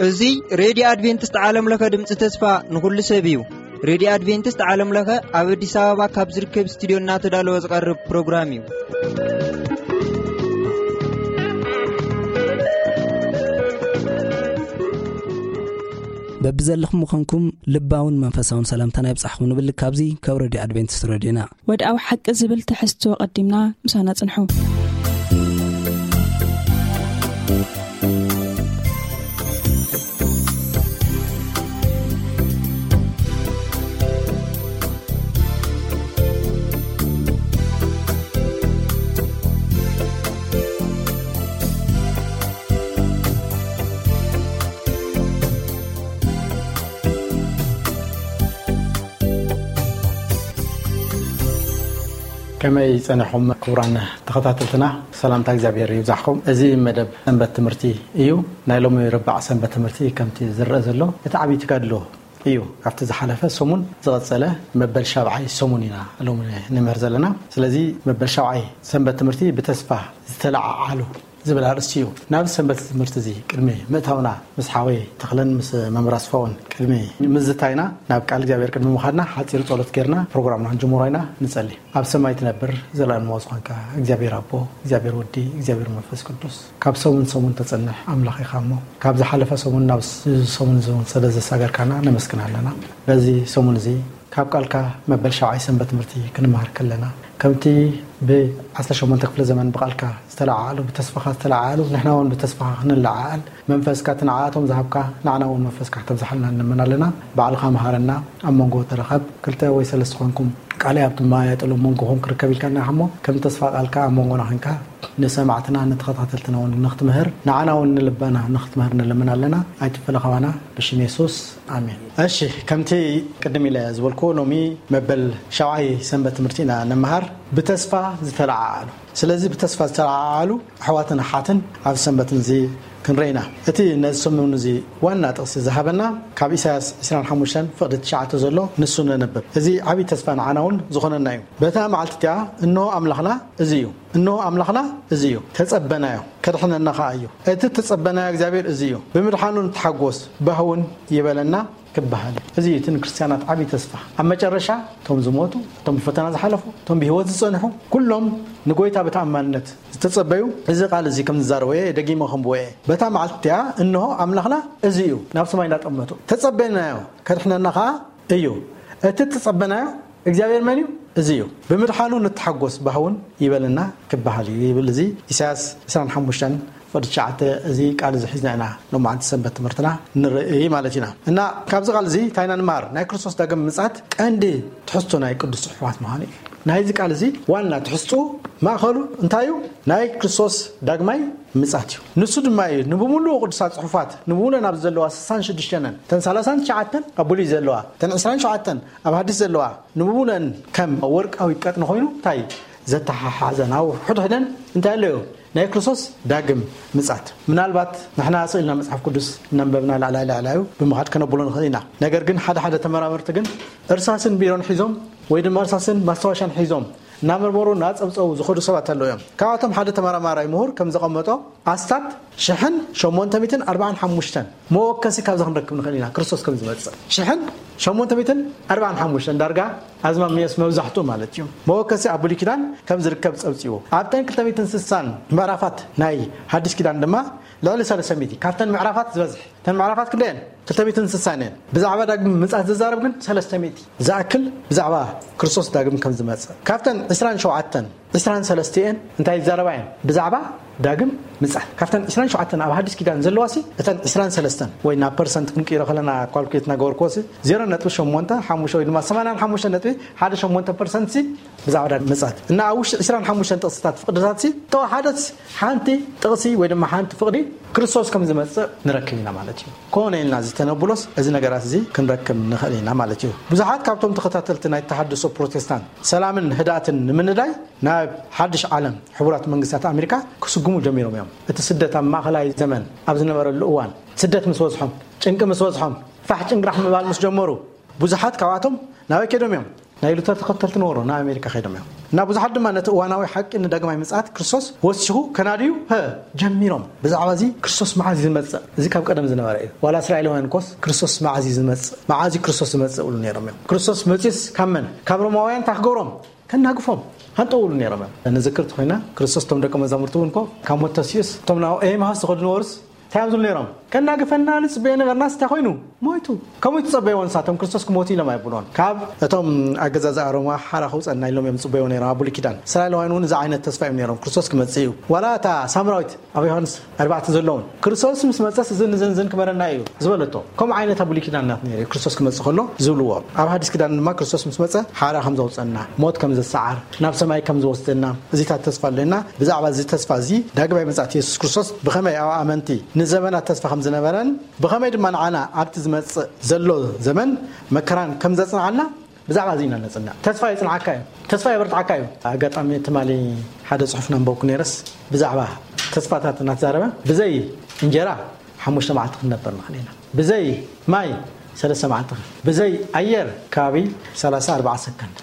እዚ ሬድዮ ኣድቬንቲስት ዓለም ለኸ ድምፂ ተስፋ ንኹሉ ሰብ እዩ። ሬድዮ ኣድቬንቲስት ዓለም ለኸ ኣብ ኣዲስ ኣበባ ካብ ዝርከብ ስቱዲዮ እናተዳለወ ዝቐርብ ፕሮግራም እዩ። በብዘለኹም ምዃንኩም ልባውን መንፈሳውን ሰላምታና ይብጻሕኩም ንብል። ካብዚ ካብ ሬድዮ ኣድቬንቲስት ሬድዮና ወድኣዊ ሓቂ ዝብል ትሕዝቶ ቀዲምና ምሳና ጽንሑ። ከመይ ጸኒሕኩም ክቡራን ተኸታተልትና? ሰላምታ እግዚኣብሔር ይብዛሕኩም። እዚ መደብ ሰንበት ትምህርቲ እዩ። ናይ ሎሚ ረባዕ ሰንበት ትምህርቲ ከምቲ ዝረአ ዘሎ እቲ ዓብዪ ተጋድሎ እዩ። ካብቲ ዝሓለፈ ሰሙን ዝቐጸለ መበል ሻብዓይ ሰሙን ኢና ሎሚ ንምህር ዘለና። ስለዚ መበል ሻብዓይ ሰንበት ትምህርቲ ብተስፋ ዝተለዓዓሉ ዝብል ኣርእስቲ እዩ። ናብ ሰንበት ትምህርቲ እዚ ቅድሚ ምእታውና ምስ ሓወይ ተኽለን ምስ መምህር ኣስፋውን ቅድሚ ምዝታይና ናብ ቃል እግዚኣብሔር ቅድሚ ምኻድና ሓጺር ጸሎት ጌርና ፕሮግራምና ክንጅምሮ ኢና። ንጸሊ። ኣብ ሰማይ ትነብር ዘለኣለማዊ ዝኾንካ እግዚኣብሔር ኣቦ፣ እግዚኣብሔር ወዲ፣ እግዚኣብሔር መንፈስ ቅዱስ ካብ ሰሙን ሰሙን ተጸንሕ ኣምላኽ ኢኻ እሞ ካብ ዝሓለፈ ሰሙን ናብ እዚ ሰሙን እዚ እውን ስለ ዘሳገርካና ነመስግን ኣለና። በዚ ሰሙን እዚ ካብ ቃልካ መበል ሻብዓይ ሰንበት ትምህርቲ ክንመሃር ከለና ከምቲ ብ ዓሰርተ ሸሞንተ ክፍለ ዘመን ብቃልካ ዝተለዓዓሉ ብተስፋኻ ዝተለዓዓሉ ንሕና እውን ብተስፋኻ ክንለዓዓል መንፈስካ እቲ ንዓኣቶም ዝሃብካ ንዓና እውን መንፈስካ ክተብዝሓልና ንለምን ኣለና። ባዕልኻ መሃረና። ኣብ መንጎ ተረኸብ ክልተ ወይ ሰለስተ ኮንኩም ቃለይ ኣብ ትማያየጥሉ ኣብ መንጎኹም ክርከብ ኢልካና ኢኻ እሞ ከም ተስፋ ቃልካ ኣብ መንጎና ኮንካ ንሰማዕትና ንተኸታተልትና እውን ንክትምህር ንዓና እውን ንልባና ንክትምህር ንለምን ኣለና። ኣይትፈለኻባና። ብሽም የሱስ ኣሜን። እሺ፣ ከምቲ ቅድም ኢለ ዝበልኩ ሎሚ መበል ሻብዓይ ሰንበት ትምህርቲ ኢና ንመሃር። ብተስፋ ዝተለዓዓሉ። ስለዚ ብተስፋ ዝተለዓዓሉ ኣሕዋትን ኣሓትን ኣብ ሰንበት እዚ ክንረኢና። እቲ ነዚ ሰሙን እዚ ዋና ጥቕሲ ዝሃበና ካብ ኢሳያስ ዕስራን ሓሙሽተን ፍቕዲ ትሽዓተ ዘሎ ንሱ ነንብብ። እዚ ዓብዪ ተስፋ ንዓና እውን ዝኾነና እዩ። በታ መዓልቲ እቲኣ እንሆ ኣምላኽና እዚ እዩ፣ እንሆ ኣምላኽና እዚ እዩ፣ ተጸበናዮ፣ ከድሕነና ኸኣ እዩ። እቲ ተጸበናዮ እግዚኣብሔር እዚ እዩ። ብምድሓኑ ንተሓጎስ፣ ባህውን ይበለና ክበሃል እዩ። እዚ እዩ እቲ ንክርስትያናት ዓብዪ ተስፋ። ኣብ መጨረሻ እቶም ዝሞቱ፣ እቶም ብፈተና ዝሓለፉ፣ እቶም ብህይወት ዝጸንሑ፣ ኩሎም ንጎይታ ብተኣማንነት ዝተጸበዩ፣ እዚ ቃል እዚ ከም ዝዛረቦ እየ፣ ደጊመ ከንብቦ እየ። በታ መዓልቲ እቲኣ እንሆ ኣምላኽና እዚ እዩ፣ ናብ ሰማይ እናጠመቱ። ተጸበናዮ፣ ከድሕነና ኸኣ እዩ። እቲ እተጸበናዮ እግዚኣብሔር መን እዩ? እዚ እዩ። ብምድሓኑ ንተሓጎስ፣ ባህውን ይበልና ክበሃል እዩ ይብል። እዚ ኢሳያስ ዕስራን ሓሙሽተን ፍቕዲ ትሽዓተ፣ እዚ ቃል እዚ ሒዝና ኢና ሎማዓንቲ ሰንበት ትምህርትና ንርኢ ማለት ኢና። እና ካብዚ ቃል እዚ እንታይ ኢና ንመሃር? ናይ ክርስቶስ ዳግም ምጽኣት ቀንዲ ትሕዝቶ ናይ ቅዱስ ጽሑፋት ምዃኑ እዩ። ናይዚ ቃል እዚ ዋና ትሕዝቱ ማእኸሉ እንታይ እዩ? ናይ ክርስቶስ ዳግማይ ምጻት እዩ። ንሱ ድማ እዩ ንብምሉኡ ቅዱሳት ጽሑፋት ንብምሉኡ ናብ ዘለዋ ስሳን ሽዱሽተን እተን ሰላሳን ትሽዓተን ኣብ ብሉይ ዘለዋ እተን ዕስራን ሸውዓተን ኣብ ሃዲስ ዘለዋ ንብምሉእን ከም ወርቃዊ ቀጥኒ ኮይኑ እንታይ ዘተሓሓዘን ኣብ ሕድሕደን እንታይ ኣለዮ? ናይ ክርስቶስ ዳግም ምጻት። ምናልባት ንሕና ስእልና መጽሓፍ ቅዱስ እናንበብና ላዕላይ ላዕላዩ ብምኻድ ከነብሎ ንኽእል ኢና። ነገር ግን ሓደ ሓደ ተመራመርቲ ግን እርሳስን ቢሮን ሒዞም ወይ ድማ እርሳስን ማስታወሻን ሒዞም እናመርመሩ እናጸብጸቡ ዝኸዱ ሰባት ኣለዉ እዮም። ካብኣቶም ሓደ ተመራማራይ ምሁር ከም ዘቐመጦ ኣስታት ሽሕን ሸሞንተ ሚእትን ኣርባዓን ሓሙሽተን መወከሲ ካብዚ ክንረክብ ንኽእል ኢና ክርስቶስ ከም ዝመጽእ። ሽሕን ሸሞንተ ሚእትን ኣርባዓን ሓሙሽተን ዳርጋ ኣዝማሚያስ መብዛሕትኡ ማለት እዩ። መወከሲ ኣብ ብሉይ ኪዳን ከም ዝርከብ ጸብጺቡ። ኣብተን ክልተ ሚእትን ስሳን ምዕራፋት ናይ ሓድሽ ኪዳን ድማ ልዕሊ ሰለስተ ሚእቲ ካብተን ምዕራፋት ዝበዝሕ። እተን ምዕራፋት ክንደየን? ክልተ ሚእትን ስሳን እየን። ብዛዕባ ዳግም ምጽኣት ዝዛረብ ግን ሰለስተ ሚእቲ ዝኣክል ብዛዕባ ክርስቶስ ዳግም ከም ዝመጽእ። ካብተን ዕስራን ሸውዓተን፣ ዕስራን ሰለስተን እንታይ ይዛረባ እየን? ብዛዕባ ዳግም ምጽኣት። ካብተን ዕስራን ሸውዓተን ኣብ ሓድሽ ኪዳን ዘለዋ ሲ፣ እተን ዕስራን ሰለስተን ወይ ናብ ፐርሰንት ክንቅይሮ ከለና ካልኩሌት እናገበርክዎ ሲ፣ ዜሮ ነጥቢ ሸሞንተ ሓሙሽተ ወይ ድማ ሰማንያን ሓሙሽተ ነጥቢ ሓደ ሸሞንተ ፐርሰንት ሲ ብዛዕባ ዳግም ምጽኣት። እና ኣብ ውሽጢ ዕስራን ሓሙሽተን ጥቕስታት ፍቕድታት ሲ፣ ተወሓደት ሓንቲ ጥቕሲ ወይ ድማ ሓንቲ ፍቕዲ ክርስቶስ ከም ዝመጽእ ንረክብ ኢና ማለት እዩ። ኮነ ኢልና እዚ ተነብሎስ እዚ ነገራት እዚ ክንረክብ ንኽእል ኢና ማለት እዩ። ብዙሓት ካብቶም ተኸታተልቲ ናይ ተሃድሶ ፕሮቴስታንት ሰላምን ህድኣትን ንምንዳይ ናብ ሓድሽ ዓለም ሕቡራት መንግስታት ኣሜሪካ ክስጉሙ ጀሚሮም እዮም። እቲ ስደት ኣብ ማእኸላይ ዘመን ኣብ ዝነበረሉ እዋን ስደት ምስ በዝሖም፣ ጭንቂ ምስ በዝሖም፣ ፋሕ ጭንግራሕ ምባል ምስ ጀመሩ ብዙሓት ካብኣቶም ናበይ ከይዶም እዮም? ናይ ሉተር ተኸተልቲ ነበሩ፣ ናብ ኣሜሪካ ከይዶም እዮም። እና ብዙሓት ድማ ነቲ እዋናዊ ሓቂ ንዳግማይ ምጽኣት ክርስቶስ ወሲኹ ከናድዩ፣ ሀ፣ ጀሚሮም። ብዛዕባ እዚ ክርስቶስ መዓዝ እዩ ዝመጽእ? እዚ ካብ ቀደም ዝነበረ እዩ። ዋላ እስራኤላውያን ኮስ ክርስቶስ መዓዝ እዩ ዝመጽእ? መዓዝ እዩ ክርስቶስ ዝመጽእ? ይብሉ ነይሮም እዮም። ክርስቶስ መጺኡስ ካብ መን? ካብ ሮማውያን እንታይ ክገብሮም? ከናግፎም። ሃንጠው ይብሉ ነይሮም እዮም። ንዝክር ተኾይና፣ ክርስቶስ እቶም ደቀ መዛሙርቱ እውን እኮ ካብ ሞት ተሲኡስ፣ እቶም ናብ ኤማሁስ ዝኸዱ ነበሩስ እንታይ እዮም ዝብሉ ነይሮም? ከናግፈና ንጽበዮ ነበርናስ እንታይ ኮይኑ? ሞይቱ። ከምኡ ይትጸበይዎ ንሳቶም፣ ክርስቶስ ክሞቱ ኢሎም ኣይብልዎን። ካብ እቶም ኣገዛዝኣ ሮማ ሓራ ከውጸና ኢሎም እዮም ዝጽበይዎ ነይሮም ኣብ ብሉይ ኪዳን። እስራኤላውያን እውን እዚ ዓይነት ተስፋ እዮም ነይሮም፣ ክርስቶስ ክመጽእ እዩ። ዋላ እታ ሳምራዊት ኣብ ዮሃንስ ኣርባዕተ ዘለውን፣ ክርስቶስ ምስ መጸስ እዝን እዝን እዝን ክበረና እዩ ዝበለቶ። ከምኡ ዓይነት ኣብ ብሉይ ኪዳን ናት ነይሩ፣ ክርስቶስ ክመጽእ ከሎ ዝብልዎ። ኣብ ሓዲስ ኪዳን ድማ ክርስቶስ ምስ መጸ ሓራ ከም ዘውጸና፣ ሞት ከም ዘሰዓር፣ ናብ ሰማይ ከም ዝወስደና፣ እዚታት ተስፋ ኣለና። ብዛዕባ እዚ ተስፋ እዚ፣ ዳግማይ ምጽኣት የሱስ ክርስቶስ ብኸመይ ኣብ ኣመንቲ ንዘመናት ተስፋ ከም ዝነበረን፣ ብኸመይ ድማ ንዓና ኣብቲ ዝመጽእ ዘሎ ዘመን መከራን ከም ዘጽንዓና፣ ብዛዕባ እዚ ኢና ነጽንዕ። ተስፋ የጽንዓካ እዩ፣ ተስፋ የበርትዓካ እዩ። ኣጋጣሚ ትማሊ ሓደ ጽሑፍ ናንበብኩ ነይረስ፣ ብዛዕባ ተስፋታት እናተዛረበ፣ ብዘይ እንጀራ ሓሙሽተ መዓልቲ ክንነብር ንኽእል ኢና፣ ብዘይ ማይ ሰለስተ መዓልቲ፣ ብዘይ ኣየር ከባቢ ሰላሳ ኣርባዓ ሰከንድ፣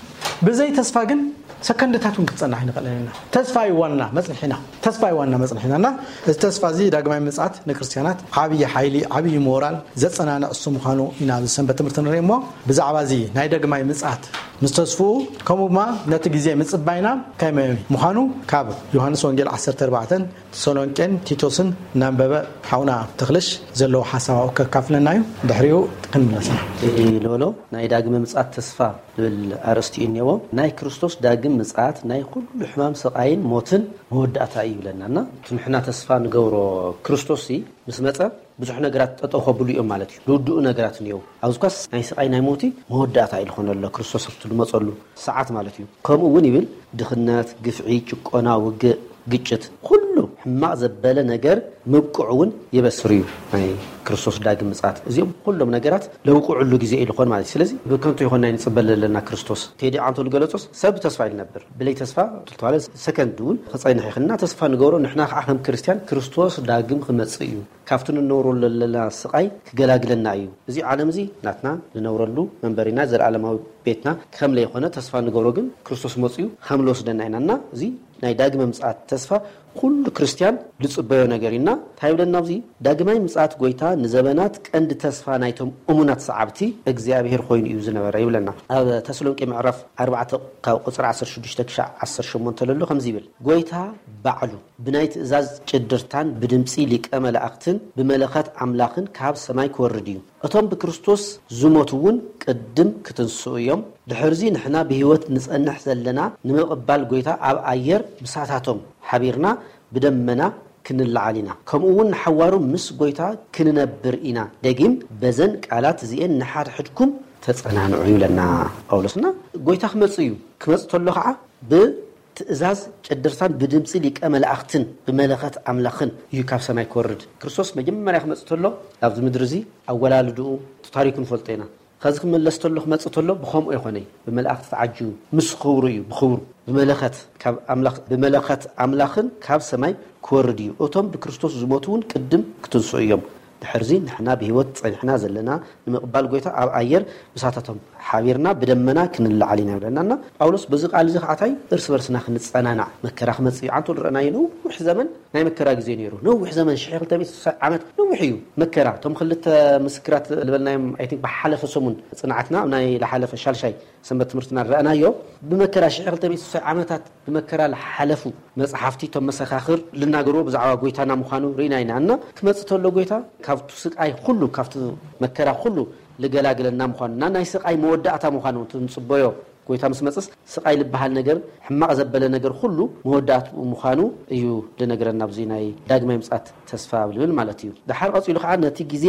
ብዘይ ተስፋ ግን ሰከንድታት እውን ክትጸንሕ ኣይንኽእልን ኢና። ተስፋ እዩ ዋና መጽንሒና፣ ተስፋ እዩ ዋና መጽንሒና። እና እዚ ተስፋ እዚ ዳግማይ ምጽኣት ንክርስትያናት ዓብዪ ሓይሊ፣ ዓብዪ ሞራል ዘጸናንዕ እሱ ምዃኑ ኢና ኣብዚ ሰንበት ትምህርቲ ንርኢ። እሞ ብዛዕባ እዚ ናይ ዳግማይ ምጽኣት ምስ ተስፍኡ፣ ከምኡ ድማ ነቲ ግዜ ምጽባይና ከመይ ምዃኑ ካብ ዮሃንስ ወንጌል ዓሰርተ ኣርባዕተን ተሰሎንቄን ቲቶስን እናንበበ ሓውና ተኽልሽ ዘለዎ ሓሳብ ኣብኡ ከካፍለና እዩ። ድሕሪኡ ክንምለስ ኢና። ቴዲ ሎሎ፣ ናይ ዳግመ ምጽኣት ተስፋ ዝብል ኣርእስቲ እዩ እኒአዎ። ናይ ክርስቶስ ዳግም ምጽኣት ናይ ኩሉ ሕማም፣ ስቓይን ሞትን መወዳእታ እዩ ይብለና። እና እቲ ንሕና ተስፋ ንገብሮ ክርስቶስ ሲ ምስ መጸ ብዙሕ ነገራት ጠጠው ከብሉ እዮም ማለት እዩ። ዝውድኡ ነገራት እኒአው። ኣብዚ ኳስ ናይ ስቓይ ናይ ሞቲ መወዳእታ እዩ ዝኾነ ኣሎ ክርስቶስ ኣብቲ ዝመጸሉ ሰዓት ማለት እዩ። ከምኡ እውን ይብል፣ ድኽነት፣ ግፍዒ፣ ጭቆና፣ ውግእ፣ ግጭት፣ ኩሉ ሕማቕ ዘበለ ነገር ምብቅዑ እውን የበስር እዩ ናይ ክርስቶስ ዳግም ምጽኣት። እዚኦም ኩሎም ነገራት ለውቅዕሉ ግዜ እዩ ዝኾን ማለት እዩ። ስለዚ ብከንቱ ይኾን ናይ ንጽበል ዘለና ክርስቶስ። ቴዲ ዓንቶ ዝገለጾስ ሰብ ተስፋ እዩ ዝነብር። ብለይ ተስፋ ተባለ ሰከንድ እውን ክጸንሕ ይኽእልና። ተስፋ ንገብሮ ንሕና ከዓ ከም ክርስትያን ክርስቶስ ዳግም ክመጽእ እዩ። ካብቲ ንነብረሉ ዘለና ስቓይ ክገላግለና እዩ። እዚ ዓለም እዚ ናትና ንነብረሉ መንበሪና፣ ዘለኣለማዊ ቤትና ከም ለይኾነ ተስፋ ንገብሮ ግን ክርስቶስ መጽኡ ከም ልወስደና ኢና። እና እዚ ናይ ዳግመ ምጽኣት ተስፋ ኩሉ ክርስትያን ዝጽበዮ ነገር እዩ። እና እንታይ ይብለና ኣብዚ? ዳግማይ ምጽኣት ጎይታ ንዘበናት ቀንዲ ተስፋ ናይቶም እሙናት ሰዓብቲ እግዚኣብሔር ኮይኑ እዩ ዝነበረ ይብለና። ኣብ ተሰሎንቄ ምዕራፍ ኣርባዕተ ካብ ቁጽሪ ዓሰርተ ሽዱሽተ ክሻዕ ዓሰርተ ሸሞንተ ለሎ ከምዚ ይብል፣ ጎይታ ባዕሉ ብናይ ትእዛዝ ጭድርታን ብድምጺ ሊቀ መላእክትን ብመለኸት ኣምላኽን ካብ ሰማይ ክወርድ እዩ። እቶም ብክርስቶስ ዝሞቱ እውን ቅድም ክትንስኡ እዮም። ድሕርዚ ንሕና ብህይወት ንጸንሕ ዘለና ንምቕባል ጎይታ ኣብ ኣየር ምሳታቶም ሓቢርና ብደመና ክንለዓል ኢና። ከምኡ እውን ንሓዋሩ ምስ ጎይታ ክንነብር ኢና። ደጊም በዘን ቃላት እዚኤን ንሓድሕድኩም ተጸናንዑ ይብለና ጳውሎስና። ጎይታ ክመጽእ እዩ። ክመጽእ ተሎ ከዓ ብ ትእዛዝ ጭድርታን ብድምፂ ሊቀ መላእክትን ብመለኸት ኣምላኽን እዩ ካብ ሰማይ ክወርድ። ክርስቶስ መጀመርያ ክመፅእ ተሎ ኣብዚ ምድሪ እዚ ኣወላልድኡ እቲ ታሪኩ ንፈልጦ ኢና። ከዚ ክምለስ ተሎ ክመፅእ ተሎ ብኸምኡ ኣይኮነይ፣ ብመላእክቲ ተዓጅቡ ምስ ክብሩ እዩ። ብኽብሩ ብመለኸት ካብ ኣምላኽ ብመለኸት ኣምላኽን ካብ ሰማይ ክወርድ እዩ። እቶም ብክርስቶስ ዝሞቱ እውን ቅድም ክትንስኡ እዮም። ድሕርዚ ንሕና ብህይወት ጸኒሕና ዘለና ንምቕባል ጎይታ ኣብ ኣየር ምሳታቶም ሓቢርና ብደመና ክንለዓል ኢና ይብለና። እና ጳውሎስ በዚ ቃል እዚ ከዓታይ እርስ በርስና ክንጸናናዕ መከራ ክመጽእ እዩ። ዓንቶ ዝረኣናዮ ነዊሕ ዘመን ናይ መከራ ግዜ ነይሩ። ነዊሕ ዘመን ሽሕ ክልተ ሚእቲ ስሳ ዓመት ነዊሕ እዩ መከራ። እቶም ክልተ ምስክራት ዝበልናዮም ኣይ ቲንክ ብሓለፈ ሰሙን ጽንዓትና ኣብ ናይ ዝሓለፈ ሻልሻይ ሰንበት ትምህርትና ዝረኣናዮ ብመከራ ሽሕ ክልተ ሚእቲ ስሳ ዓመታት ብመከራ ዝሓለፉ መጽሓፍቲ እቶም መሰኻኽር ልናገርዎ ብዛዕባ ጎይታና ምዃኑ ርኢና ኢና። እና ክመጽእ ተሎ ጎይታ ካብቲ ስቃይ ኩሉ ካብቲ መከራ ኩሉ ልገላግለና ምዃኑ እና ናይ ስቃይ መወዳእታ ምዃኑ እቲ ንጽበዮ ጎይታ ምስ መጽስ ስቃይ ልበሃል ነገር ሕማቕ ዘበለ ነገር ኩሉ መወዳእትኡ ምዃኑ እዩ ልነግረና ኣብዚ ናይ ዳግማይ ምጽኣት ተስፋ ኣብ ልብል ማለት እዩ። ደሓር ቀጺሉ ከዓ ነቲ ግዜ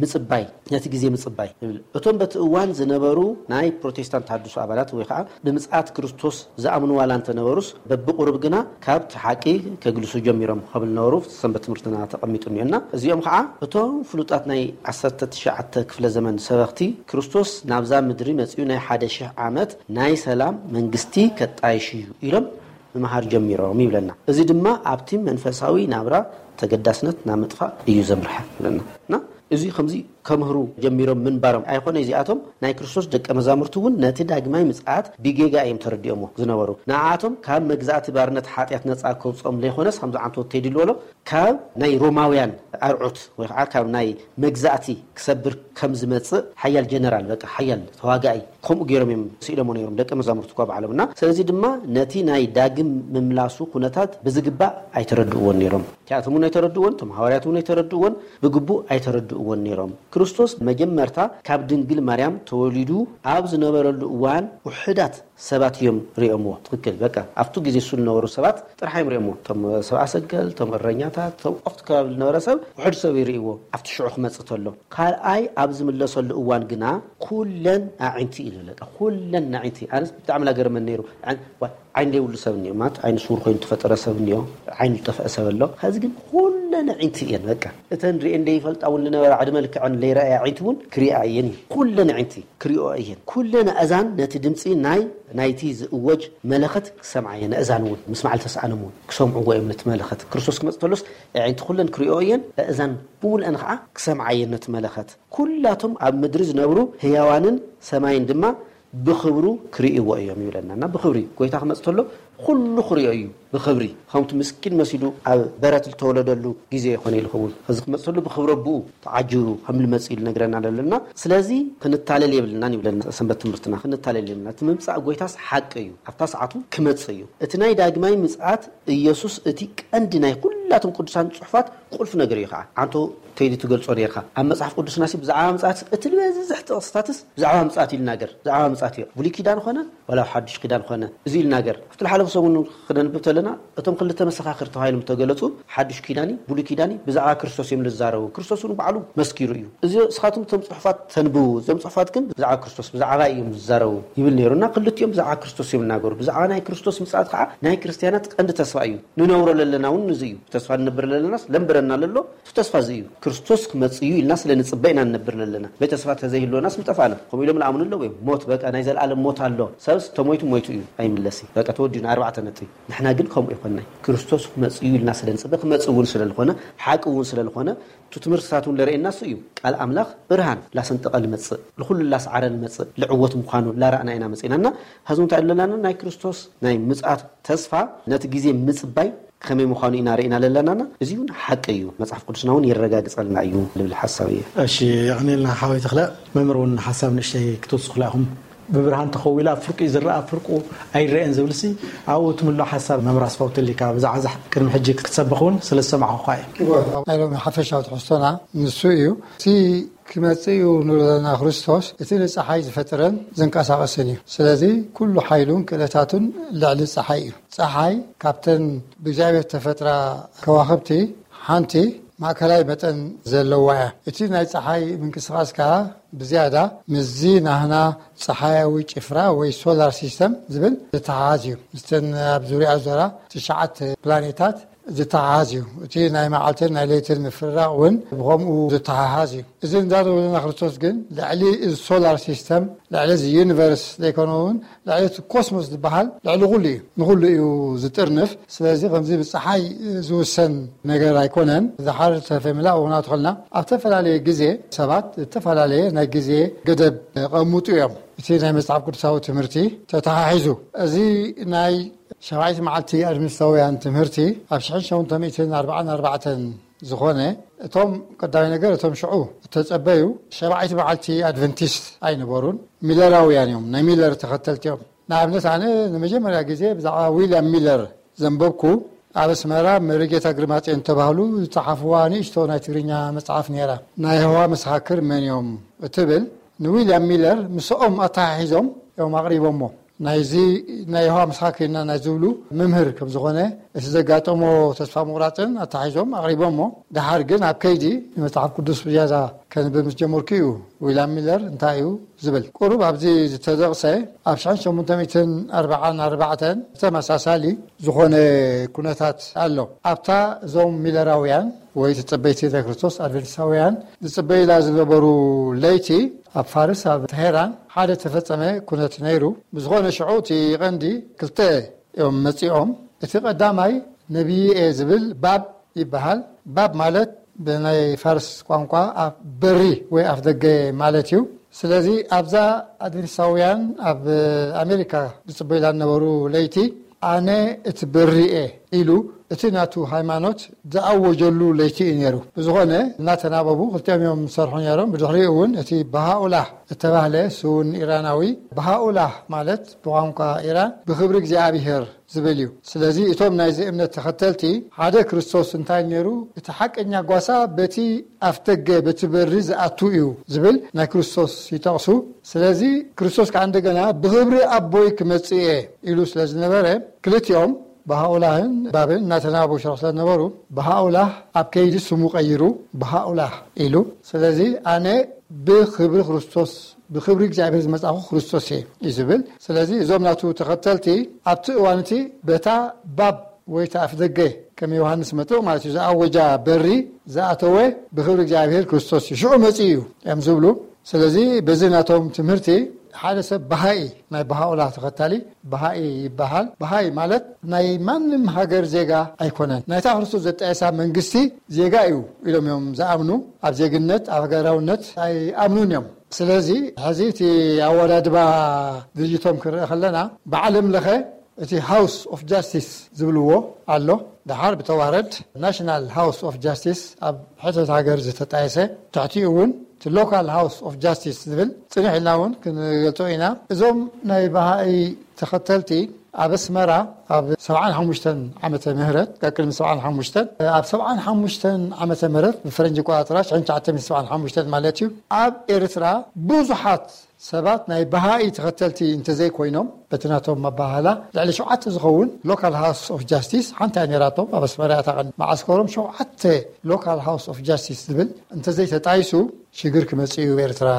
ምጽባይ ነቲ ግዜ ምጽባይ ይብል። እቶም በቲ እዋን ዝነበሩ ናይ ፕሮቴስታንት ተሃድሶ ኣባላት ወይ ከዓ ብምጽኣት ክርስቶስ ዝኣምኑ ዋላ እንተነበሩስ በብቁሩብ ግና ካብቲ ሓቂ ከግልሱ ጀሚሮም ከብል ነበሩ ሰንበት ትምህርትና ተቐሚጡ እኒኦና። እዚኦም ከዓ እቶም ፍሉጣት ናይ ዓሰርተ ትሽዓተ ክፍለ ዘመን ሰበኽቲ ክርስቶስ ናብዛ ምድሪ መጺኡ ናይ ሓደ ሽሕ ዓመት ናይ ሰላም መንግስቲ ከጣይሽ እዩ ኢሎም ምምሃር ጀሚሮም ይብለና። እዚ ድማ ኣብቲ መንፈሳዊ ናብራ ተገዳስነት ናብ ምጥፋእ እዩ ዘምርሐ ይብለና። እና እዚ ከምዚ ከምህሩ ጀሚሮም ምንባሮም ኣይኮነ፣ እዚኣቶም ናይ ክርስቶስ ደቀ መዛሙርቲ እውን ነቲ ዳግማይ ምጽኣት ብጌጋ እዮም ተረዲኦሞ ዝነበሩ። ንኣቶም ካብ መግዛእቲ ባርነት ሓጢኣት ነጻ ከውጽኦም ዘይኮነስ፣ ከምዚ ዓንቶ ቴዲ ዝበሎ፣ ካብ ናይ ሮማውያን ኣርዑት ወይ ከዓ ካብ ናይ መግዛእቲ ክሰብር ከም ዝመጽእ ሓያል ጀነራል፣ በቃ ሓያል ተዋጋኢ፣ ከምኡ ገይሮም እዮም ስኢሎሞ ነይሮም ደቀ መዛሙርቲ እኳ ባዕሎም። እና ስለዚ ድማ ነቲ ናይ ዳግም ምምላሱ ኩነታት ብዝግባእ ኣይተረድእዎን ነይሮም። እቲኣቶም እውን ኣይተረድእዎን፣ እቶም ሃዋርያት እውን ኣይተረድእዎን፣ ብግቡእ ኣይተረድእዎን ነይሮም። ክርስቶስ መጀመርታ ካብ ድንግል ማርያም ተወሊዱ ኣብ ዝነበረሉ እዋን ውሑዳት ሰባት እዮም ሪኦምዎ። ትክክል። በቃ ኣብቱ ግዜ እሱ ዝነበሩ ሰባት ጥራሕ እዮም ሪኦምዎ። እቶም ሰብኣ ሰገል፣ እቶም እረኛታት፣ እቶም ኣብቲ ከባቢ ዝነበረ ሰብ ውሑድ ሰብ ይርእይዎ። ኣብቲ ሽዑ ክመጽእ ተሎ፣ ካልኣይ ኣብ ዝምለሰሉ እዋን ግና ኩለን ኣዒንቲ ኢሉ። በቃ ኩለን ኣዒንቲ። ኣነስ ብጣዕሚ ናገርመን ነይሩ። ዓይን ዋ- ዓይን ዘይብሉ ሰብ እኒኦ፣ ማለት ዓይኒ ስውር ኮይኑ ተፈጠረ ሰብ እኒኦ፣ ዓይኒ ዝጠፍአ ሰብ ኣሎ። ከዚ ግን ኩለን ኣዒንቲ እየን። በቃ እተን ሪኤን ዘይፈልጣ እውን ዝነበራ፣ ዕድመ ልክዐን ዘይረኣያ ኣዒንቲ እውን ክሪኣ እየን እዩ። ኩለን ኣዒንቲ ክሪኦ እየን። ኩለን ኣእዛን ነቲ ድምፂ ናይ ናይቲ ዝእወጅ መለኸት ክሰምዓ እየን። ኣእዛን እውን ምስማዕ ልተስኣኖም እውን ክሰምዕዎ እዮም ነቲ መለኸት። ክርስቶስ ክመፅ ተሎስ ኣዒንቲ ኩለን ክሪኦ እየን፣ ኣእዛን ብሙልአን ከዓ ክሰምዓ እየን ነቲ መለኸት። ኩላቶም ኣብ ምድሪ ዝነብሩ ህያዋንን ሰማይን ድማ ብኽብሩ ክርእይዎ እዮም ይብለና። እና ብኽብሪ ጎይታ ክመፅ ተሎ ኩሉ ክሪኦ እዩ ብኽብሪ። ከምቲ ምስኪን መሲሉ ኣብ በረት ዝተወለደሉ ግዜ ይኾነ ይኸውን። እዚ ክመፅ ተሎ ብኽብሪ ኣቦኡ ተዓጅቡ ከም ልመፅ ኢሉ ነግረና ኣለና። ስለዚ ክንታለል የብልናን ይብለና ሰንበት ትምህርትና። ክንታለል የብልና። እቲ ምምፃእ ጎይታስ ሓቂ እዩ። ኣብታ ሰዓቱ ክመፅእ እዩ። እቲ ናይ ዳግማይ ምፅኣት ኢየሱስ እቲ ቀንዲ ናይ ኩላቶም ቅዱሳን ጽሑፋት ቁልፍ ነገር እዩ ከዓ። ዓንቶ ከይዲ ትገልጾ ነርካ። ኣብ መጽሓፍ ቅዱስና ሲ ብዛዕባ ምጽኣት እቲ ዝበዝሕ ጥቕስታትስ ብዛዕባ ምጽኣት እዩ ልናገር። ብዛዕባ ምጽኣት እዩ። ብሉይ ኪዳን ኾነ፣ ዋላ ሓዱሽ ኪዳን ኾነ፣ እዚ እዩ ልናገር። ኣብቲ ዝሓለፈ ሰሙን ክነንብብ ተለና፣ እቶም ክልተ መሰኻኽር ተባሂሎም ተገለጹ፣ ሓዱሽ ኪዳኒ፣ ብሉይ ኪዳኒ፣ ብዛዕባ ክርስቶስ እዮም ልዛረቡ። ክርስቶስ እውን ባዕሉ መስኪሩ እዩ። እዚ እስኻትኩም እቶም ጽሑፋት ተንብቡ፣ እዞም ጽሑፋት ግን ብዛዕባ ክርስቶስ፣ ብዛዕባ እዮም ዝዛረቡ ይብል ነይሩ። እና ክልቲኦም ብዛዕባ ክርስቶስ እዮም ልናገሩ። ብዛዕባ ናይ ክርስቶስ ምጽኣት ከዓ ናይ ክርስትያናት ቀንዲ ተስፋ እዩ። ንነብሮ ለለና እውን እዚ እዩ። ተስፋ ንነብር ለለናስ ለንብረና ለሎ፣ እቲ ተስፋ እዚ እዩ። ክርስቶስ ክመጽእ እዩ ኢልና ስለ ንጽበ ኢና ንነብር ለለና። በይ ተስፋ ተዘይህልወናስ ምጠፋእና። ከምኡ ኢሎም ልኣምኑ ኣለዉ እዮም። ሞት በቃ ናይ ዘለኣለም ሞት ኣሎ። ሰብስ ተሞይቱ ሞይቱ እዩ። ኣይምለስ እዩ። በቃ ተወዲኡ ንኣርባዕተ ነጥቢ። ንሕና ግን ከምኡ ይኮንናይ። ክርስቶስ ክመጽእ እዩ ኢልና ስለ ንጽበ፣ ክመጽእ እውን ስለ ዝኾነ፣ ሓቂ እውን ስለ ዝኾነ፣ እቲ ትምህርትታት እውን ለርእየና እሱ እዩ። ቃል ኣምላኽ ብርሃን ላሰንጠቐ ልመጽእ፣ ልኹሉ ላስዓረ ልመጽእ፣ ልዕወት ምዃኑ ላረኣና ኢና መጺእና። እና ሐዚ እንታይ ኣለና? ናይ ክርስቶስ ናይ ምጽኣት ተስፋ ነቲ ግዜ ምጽባይ ከመይ ምዃኑ ኢና ርኢና ለለናና። እዚ እውን ሓቂ እዩ። መጽሓፍ ቅዱስና እውን የረጋግጸልና እዩ ልብል ሓሳብ እየ። እሺ፣ የቐኔልና ሓወይ ተኽለ። መምህር እውን ሓሳብ ንእሽተይ ክትውስኹላ ኢኹም። ብብርሃን ተኸዊላ ፍርቂ ዝረኣ ፍርቁ ኣይረአን ዝብልሲ ኣብኡ ትምሎ ሓሳብ መምህር ኣስፋው ተሊካ ብዛዕባ ዛሕ ቅድሚ ሕጂ ክትሰብኽ እውን ስለ ዝሰማዕኹኻ እየ። ናይ ሎሚ ሓፈሻዊ ትሕዝቶና ንሱ እዩ። እቲ ክመጽእ እዩ ንብሎ ዘለና ክርስቶስ እቲ ንጸሓይ ዝፈጠረን ዘንቀሳቐስን እዩ። ስለዚ ኩሉ ሓይሉን ክእለታቱን ልዕሊ ጸሓይ እዩ። ጸሓይ ካብተን ብእግዚኣብሔር ተፈጥራ ከዋኽብቲ ሓንቲ ማእከላይ መጠን ዘለዋ እያ። እቲ ናይ ጸሓይ ምንቅስቓስ ከኣ ብዝያዳ ምስዚ ናህና ጸሓያዊ ጭፍራ ወይ ሶላር ሲስተም ዝብል ዝተሓሓዝ እዩ። ምስተን ኣብ ዙርያ ዞራ ትሽዓተ ፕላኔታት ዝተሓሓዝ እዩ። እቲ ናይ መዓልትን ናይ ለይትን ምፍርራቕ እውን ብኸምኡ ዝተሓሓዝ እዩ። እዚ እንዳተወለና ክርስቶስ ግን ልዕሊ እዚ ሶላር ሲስተም፣ ልዕሊ እዚ ዩኒቨርስ ዘይኮነ እውን ልዕሊ እቲ ኮስሞስ ዝበሃል ልዕሊ ኩሉ እዩ። ንኹሉ እዩ ዝጥርንፍ። ስለዚ ከምዚ ብፀሓይ ዝውሰን ነገር ኣይኮነን። ዝሓር ተፈምላ እውን ኣትኸልና ኣብ ዝተፈላለየ ግዜ ሰባት ዝተፈላለየ ናይ ግዜ ገደብ ቀምጡ እዮም። እቲ ናይ መጽሓፍ ቅዱሳዊ ትምህርቲ ተተሓሒዙ፣ እዚ ናይ ሸባዒት መዓልቲ ኣድቨንቲስታውያን ትምህርቲ ኣብ ሽሕን ሸሞንተ ሚእትን ኣርባዓን ኣርባዕተን ዝኾነ፣ እቶም ቀዳማይ ነገር እቶም ሽዑ እተጸበዩ ሸባዒት መዓልቲ ኣድቨንቲስት ኣይነበሩን፣ ሚለራውያን እዮም፣ ናይ ሚለር ተኸተልቲ እዮም። ንኣብነት ኣነ ንመጀመርያ ግዜ ብዛዕባ ዊልያም ሚለር ዘንበብኩ ኣብ ኣስመራ መሪጌታ ግርማጽዮን ተባህሉ ዝጸሓፍዋ ንእሽቶ ናይ ትግርኛ መጽሓፍ ነይራ። ናይ የሆዋ መሰኻክር መን እዮም እትብል ንዊልያም ሚለር ምስኦም ኣተሓሒዞም እዮም ኣቕሪቦሞ። ናይዚ ናይ የሆዋ መሰኻክር ኢና ናይ ዝብሉ መምህር ከም ዝኾነ እቲ ዘጋጠሞ ተስፋ ምቑራጽን ኣተሓሒዞም ኣቕሪቦሞ። ደሓር ግን ኣብ ከይዲ ንመጽሓፍ ቅዱስ ብዝያዳ ከንብብ ምስ ጀመርኩ እዩ ዊልያም ሚለር እንታይ እዩ ዝብል። ቁሩብ ኣብዚ ዝተጠቕሰ ኣብ ሽሕን ሸሞንተ ሚእትን ኣርባዓን ኣርባዕተን ተመሳሳሊ ዝኾነ ኩነታት ኣሎ። ኣብታ እዞም ሚለራውያን ወይ ተጸበይቲ ናይ ክርስቶስ ኣድቨንቲስታውያን ዝጽበይላ ዝነበሩ ለይቲ ኣብ ፋርስ ኣብ ተሄራን ሓደ ተፈጸመ ኩነት ነይሩ። ብዝኾነ ሽዑ እቲ ቀንዲ ክልተ እዮም መጺኦም። እቲ ቀዳማይ ነቢይ እየ ዝብል ባብ ይበሃል። ባብ ማለት ብናይ ፋርስ ቋንቋ ኣፍ በሪ ወይ ኣፍ ደገ ማለት እዩ። ስለዚ ኣብዛ ኣድቬንቲስታውያን ኣብ ኣሜሪካ ዝጽበዩላ ዝነበሩ ለይቲ፣ ኣነ እቲ በሪ እየ ኢሉ እቲ ናቱ ሃይማኖት ዝኣወጀሉ ለይቲ እዩ ነይሩ። ብዝኾነ እናተናበቡ ክልቲኦም እዮም ዝሰርሑ ነይሮም። ብድሕሪኡ እውን እቲ በሃኡላህ እተባህለ ስውን ኢራናዊ፣ በሃኡላህ ማለት ብቋንቋ ኢራን ብኽብሪ እግዚኣብሔር ዝብል እዩ። ስለዚ እቶም ናይዚ እምነት ተኸተልቲ ሓደ ክርስቶስ እንታይ ነይሩ? እቲ ሓቀኛ ጓሳ በቲ ኣፍደገ በቲ በሪ ዝኣቱ እዩ ዝብል ናይ ክርስቶስ ይጠቕሱ። ስለዚ ክርስቶስ ከዓ እንደገና ብኽብሪ ኣቦይ ክመጽእ እየ ኢሉ ስለ ዝነበረ ክልቲኦም ብሃኡላህን ባብን እናተናበቡ ሽረኽ ስለ ዝነበሩ ብሃኡላህ ኣብ ከይዲ ስሙ ቀይሩ ብሃኡላህ ኢሉ። ስለዚ ኣነ ብኽብሪ ክርስቶስ ብኽብሪ እግዚኣብሔር ዝመጻኹ ክርስቶስ እየ እዩ ዝብል። ስለዚ እዞም ናቱ ተኸተልቲ ኣብቲ እዋን እቲ በታ ባብ ወይ እቲ ኣፍደገ ከም ዮሃንስ መጥምቕ ማለት እዩ ዝኣወጃ በሪ ዝኣተወ ብኽብሪ እግዚኣብሔር ክርስቶስ እዩ ሽዑ መጺኡ እዩ እዮም ዝብሉ። ስለዚ በዚ ናቶም ትምህርቲ ሓደ ሰብ በሃኢ ናይ በሃኡላ ተኸታሊ በሃኢ ይበሃል። በሃኢ ማለት ናይ ማንም ሃገር ዜጋ ኣይኮነን። ናይታ ክርስቶስ ዘጣየሳ መንግስቲ ዜጋ እዩ ኢሎም እዮም ዝኣምኑ። ኣብ ዜግነት ኣብ ሃገራውነት ኣይኣምኑን እዮም። ስለዚ ሕዚ እቲ ኣወዳድባ ድርጅቶም ክንርኢ ከለና ብዓለም ለኸ እቲ ሃውስ ኦፍ ጃስቲስ ዝብልዎ ኣሎ። ደሓር ብተዋረድ ናሽናል ሃውስ ኦፍ ጃስቲስ ኣብ ሕተት ሃገር ዝተጣየሰ፣ ትሕቲኡ እውን እቲ ሎካል ሃውስ ኦፍ ጃስቲስ ዝብል ጽንሕ ኢልና እውን ክንገልጾ ኢና። እዞም ናይ ባሃኢ ተኸተልቲ ኣብ ኣስመራ ኣብ ሰብዓን ሓሙሽተን ዓመተ ምህረት፣ ካብ ቅድሚ ሰብዓን ሓሙሽተን፣ ኣብ ሰብዓን ሓሙሽተን ዓመተ ምህረት ብፈረንጂ ኣቆጻጽራ ሽሕን ትሽዓተ ሚእትን ሰብዓን ሓሙሽተን ማለት እዩ፣ ኣብ ኤርትራ ብዙሓት ሰባት ናይ በሃኢ ተኸተልቲ እንተዘይኮይኖም፣ በቲ ናቶም ኣበሃህላ ልዕሊ ሸውዓተ ዝኸውን ሎካል ሃውስ ኦፍ ጃስቲስ ሓንቲ እያ ነይራቶም። ኣብ ኣስመራ እያ እታ ቀንዲ መዓስከሮም። ሸውዓተ ሎካል ሃውስ ኦፍ ጃስቲስ ዝብል እንተዘይተጣይሱ ሽግር ክመጽእ እዩ ኤርትራ